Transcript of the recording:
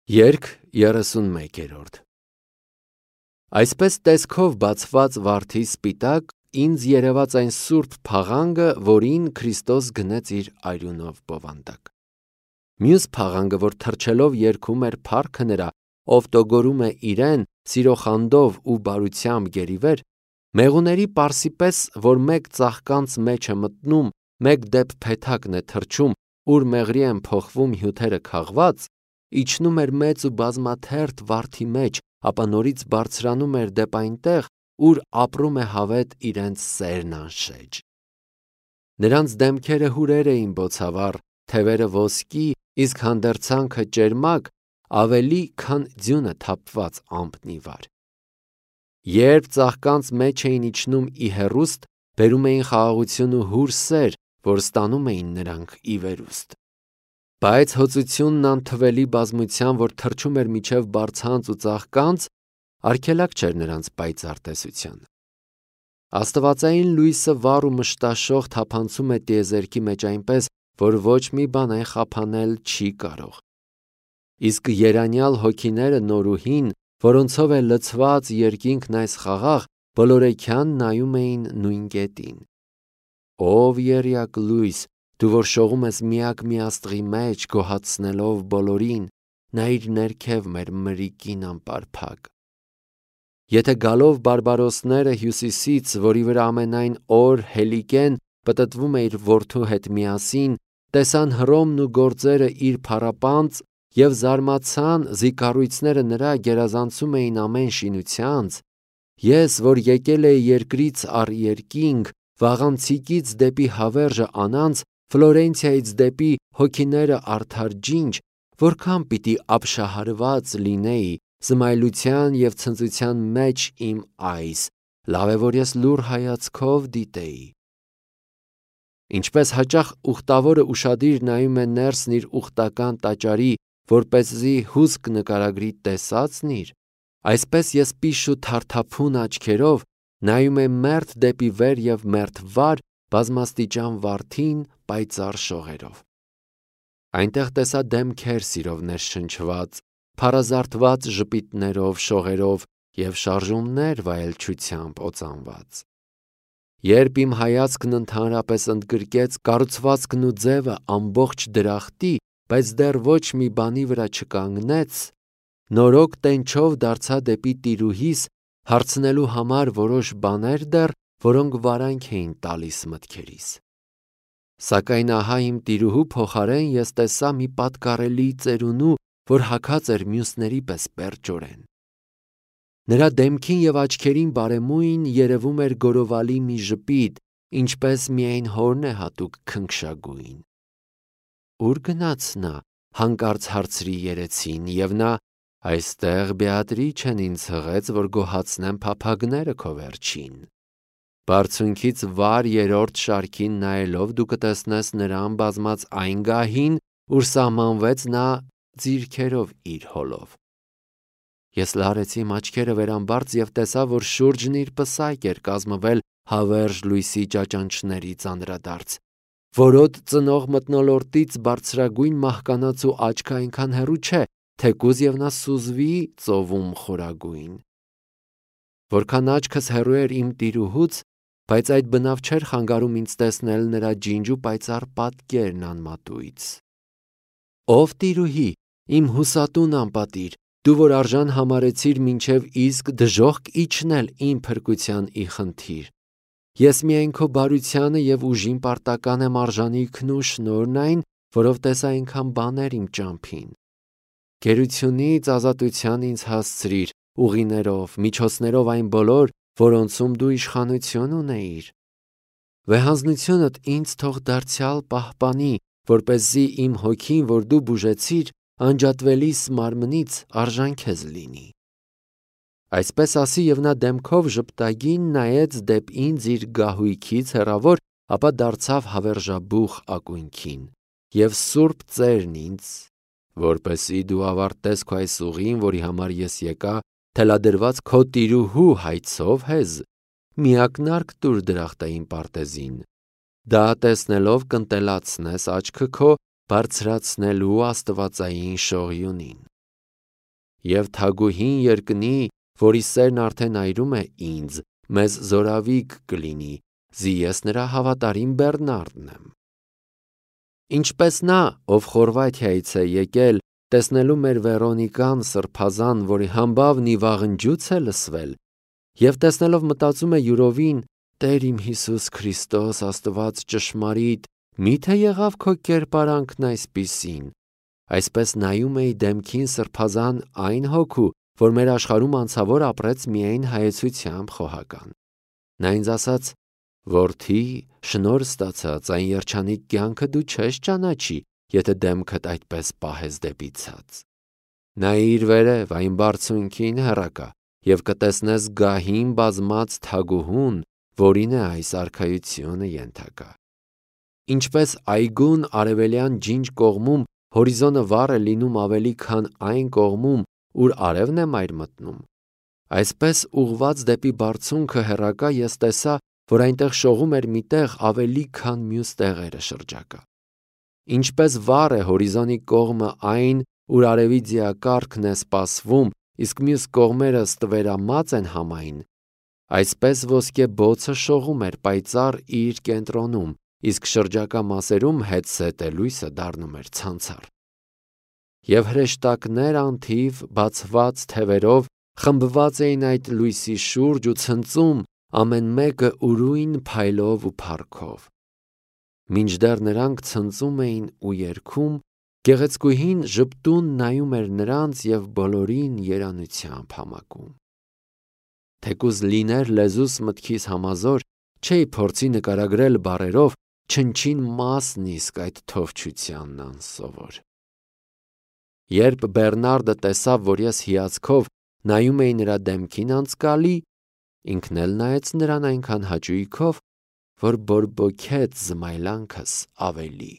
Երգ 31-րդ Այսպես տեսքով բացված վարդի սպիտակ ինձ երևաց այն սուրբ փաղանգը, որին Քրիստոս գնեց իր արյունով բովանդակ։ Մյուս փաղանգը, որ թռչելով երգում էր փառքը նրա, ով տոգորում է իրեն սիրոխանդով ու բարությամբ գերիվեր, մեղուների պարսի պես, որ մեկ ծաղկանց մեջ է մտնում, մեկ դեպ փեթակն է թռչում, ուր մեղրի են փոխվում հյութերը քաղված, իջնում էր մեծ ու բազմաթերթ վարդի մեջ, ապա նորից բարձրանում էր դեպ այնտեղ, ուր ապրում է հավետ իրենց սերն անշեջ։ Նրանց դեմքերը հուրեր էին բոցավառ, թևերը ոսկի, իսկ հանդերձանքը ճերմակ, ավելի քան ձյունը թափված ամպնիվար։ Երբ ծաղկանց մեջ էին իջնում ի հեռուստ, բերում էին խաղաղություն ու հուր սեր, որ ստանում էին նրանք ի վերուստ։ Բայց հոծությունն անթվելի բազմության, որ թռչում էր միջև բարձանց ու ծաղկանց, արգելակ չէր նրանց պայծառ տեսության։ Աստվածային լույսը վառ ու մշտաշող թափանցում է տիեզերքի մեջ այնպես, որ ոչ մի բան այն խափանել չի կարող։ Իսկ երանյալ հոգիները նորուհին, որոնցով է լցված երկինքն այս խաղաղ, բոլորեքյան նայում էին նույն կետին։ Ով եռյակ լույս, դու որ շողում ես միակ մի աստղի մեջ, գոհացնելով բոլորին, նայիր ներքև մեր մրրիկին անպարփակ։ Եթե գալով բարբարոսները հյուսիսից, որի վրա ամենայն օր Հելիկեն պտտվում է իր որդու հետ միասին, տեսան Հռոմն ու գործերը իր փառապանծ և զարմացան, զիկառույցները նրա գերազանցում էին ամեն շինությանց, ես, որ եկել էի երկրից առ երկինք, վաղանցիկից դեպի հավերժը անանց, Ֆլորենցիայից դեպի հոգիները արդար ջինջ, որքան պիտի ապշահարված լինեի, զմայլության և ցնծության մեջ իմ այս, լավ է, որ ես լուռ հայացքով դիտեի։ Ինչպես հաճախ ուխտավորը ուշադիր նայում է ներսն իր ուխտական տաճարի, որպեսզի հուսք նկարագրի տեսածն իր, այսպես ես պիշ ու թարթափուն աչքերով նայում եմ մերթ դեպի վեր և մերթ վար բազմաստիճան վարդին պայծառ շողերով։ Այնտեղ տեսա դեմքեր սիրով ներշնչված, փառազարդված ժպիտներով, շողերով և շարժումներ վայելչությամբ օծանված։ Երբ իմ հայացքն ընդհանրապես ընդգրկեց կառուցվածքն ու ձևը ամբողջ դրախտի, բայց դեռ ոչ մի բանի վրա չկանգնեց, նորոգ տենչով դարձա դեպի տիրուհիս, հարցնելու համար որոշ բաներ դեռ, որոնք վարանք էին տալիս մտքերիս։ Սակայն ահա իմ տիրուհու փոխարեն ես տեսա մի պատկառելի ծերունու, որ հագած էր մյուսների պես պերճորեն։ Նրա դեմքին և աչքերին բարեմույն երևում էր գորովալի մի ժպիտ, ինչպես միայն հորն է հատուկ քնքշագույն։ Ո՞ւր գնաց նա, հանկարծ հարցրի երեցին, և նա այստեղ Բեատրիչեն ինձ հղեց, որ գոհացնեմ փափագները քո վերջին։ Բարձունքից վար երրորդ շարքին նայելով դու կտեսնես նրան բազմած այն գահին, ուր սահմանվեց նա ձիրքերով իր հոլով։ Ես լարեցի իմ աչքերը վերամբարձ և տեսա, որ շուրջն իր պսայք էր կազմվել հավերժ լույսի ճաճանճներից անդրադարձ, որոտ ծնող մթնոլորտից բարձրագույն մահկանացու աչքը այնքան հեռու չէ, թեկուզ և նա սուզվի ծովում խորագույն։ Որքան աչքս հեռու էր իմ տիրուհուց, բայց այդ բնավ չէր խանգարում ինձ տեսնել նրա ջինջ ու պայծառ պատկերն անմատույց։ Ով տիրուհի, իմ հուսատուն անպատիր, դու որ արժան համարեցիր մինչև իսկ դժոխք իջնել իմ փրկության ի խնդիր։ Ես միայն քո բարությանը և ուժին պարտական եմ արժանիքն ու շնորհն այն, որով տեսա այնքան բաներ իմ ճամփին։ Գերությունից ազատության ինձ հասցրիր, ուղիներով, միջոցներով այն բոլոր, որոնցում դու իշխանություն ունեիր։ Վեհանձնությունդ ինձ թող դարձյալ պահպանի, որպեսզի իմ հոգին, որ դու բուժեցիր, անջատվելիս մարմնից արժան քեզ լինի։ Այսպես ասի և նա դեմքով ժպտագին նայեց դեպ ինձ իր գահույքից հեռավոր, ապա դարձավ հավերժաբուխ ակունքին, և սուրբ ծերն ինձ, որպեսզի դու ավարտես քո այս ուղին, որի համար ես եկա, թելադրված քո տիրուհու հայցով հեզ, մի ակնարկ տուր դրախտային պարտեզին, դա տեսնելով կընտելացնես աչքը քո բարձրացնելու աստվածային շողիունին։ Եվ թագուհին երկնի, որի սերն արդեն այրում է ինձ, մեզ զորավիգ կլինի, զի ես նրա հավատարիմ Բեռնարդն եմ։ Ինչպես նա, ով Խորվաթիայից է եկել, տեսնելու մեր Վերոնիկան սրբազան, որի համբավն ի վաղնջուց է լսվել, եւ տեսնելով մտածում է յուրովին. Տեր իմ Հիսուս Քրիստոս, Աստված ճշմարիտ, մի՞թե եղավ քո կերպարանքն այսպիսին։ Այսպես նայում էի դեմքին սրբազան այն հոգու, որ մեր աշխարհում անցավոր ապրեց միայն հայեցությամբ խոհական։ Նա ինձ ասաց. Որդի, շնորհ ստացած, այն երջանիկ կյանքը դու չես ճանաչի, եթե դեմքդ այդպես պահես դեպի ցած։ Նայիր վերև այն բարձունքին հեռակա, եւ կտեսնես գահին բազմած թագուհուն, որին է այս արքայությունը ենթակա։ Ինչպես այգուն արևելյան ջինջ կողմում հորիզոնը վառ է լինում ավելի, քան այն կողմում, ուր արևն է մայր մտնում, այսպես ուղված դեպի բարձունքը հեռակա ես տեսա, որ այնտեղ շողում էր մի տեղ ավելի, քան մյուս տեղերը շրջակա։ Ինչպես վառ է հորիզոնի կողմը այն, ուր արևի դիակառքն է սպասվում, իսկ մյուս կողմերը ստվերամած են համայն, այսպես ոսկե բոցը շողում էր պայծառ իր կենտրոնում, իսկ շրջակա մասերում հետսետե լույսը դառնում էր ցանցառ։ Եվ հրեշտակներ անթիվ բացված թևերով խմբված էին այդ լույսի շուրջ ու ցնծում, ամեն մեկը ուրույն փայլով ու փառքով։ Մինչդեռ նրանք ցնծում էին ու երգում, գեղեցկուհին ժպտուն նայում էր նրանց եւ բոլորին երանությամբ համակում։ Թեկուզ լիներ լեզուս մտքիս համազոր, չէի փորձի նկարագրել բառերով չնչին մասն իսկ այդ թովչությանն անսովոր։ Երբ Բեռնարդը տեսավ, որ ես հիացքով նայում էի նրա դեմքին անցկալի, ինքն էլ նայեց նրան այնքան հաճույքով, որ բորբոքեց զմայլանքս ավելի։